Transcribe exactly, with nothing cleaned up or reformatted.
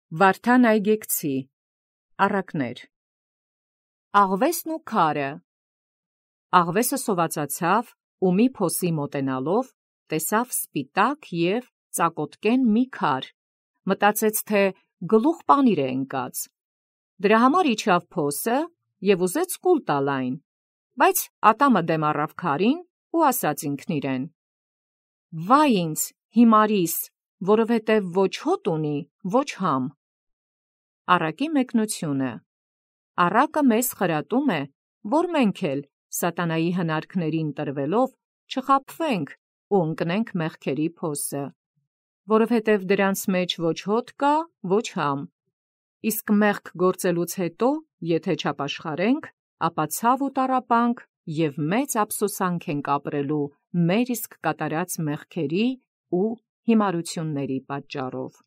Վարդան Այգեկցի առակներ։ Աղվեսն ու քարը։ Աղվեսը սովածացավ ու մի փոսի մոտենալով տեսավ սպիտակ և ծակոտկեն մի քար, մտածեց, թե գլուխ պանիր է ընկած։ Դրա համար իջավ փոսը և ուզեց կուլ տալ այն, բայց ատամը դեմ առավ քարին ու ասաց ինքն իրեն. «Վայ ինձ, հիմարիս, որովհետև ոչ հոտ ունի, ոչ համ»։ Առակի մեկնությունը։ Առակը մեզ խրատում է, որ մենք էլ սատանայի հնարքներին տրվելով չխաբվենք ու ընկնենք մեղքերի փոսը, որովհետև դրանց մեջ ոչ հոտ կա, ոչ համ, իսկ մեղք գործելուց հետո, եթե չապաշխարենք, ապա ցավ ու տառապանք և մեծ ափսոսանք ենք ապրելու մեր իսկ կատարած մեղքերի ու հիմարությունների պատճառով։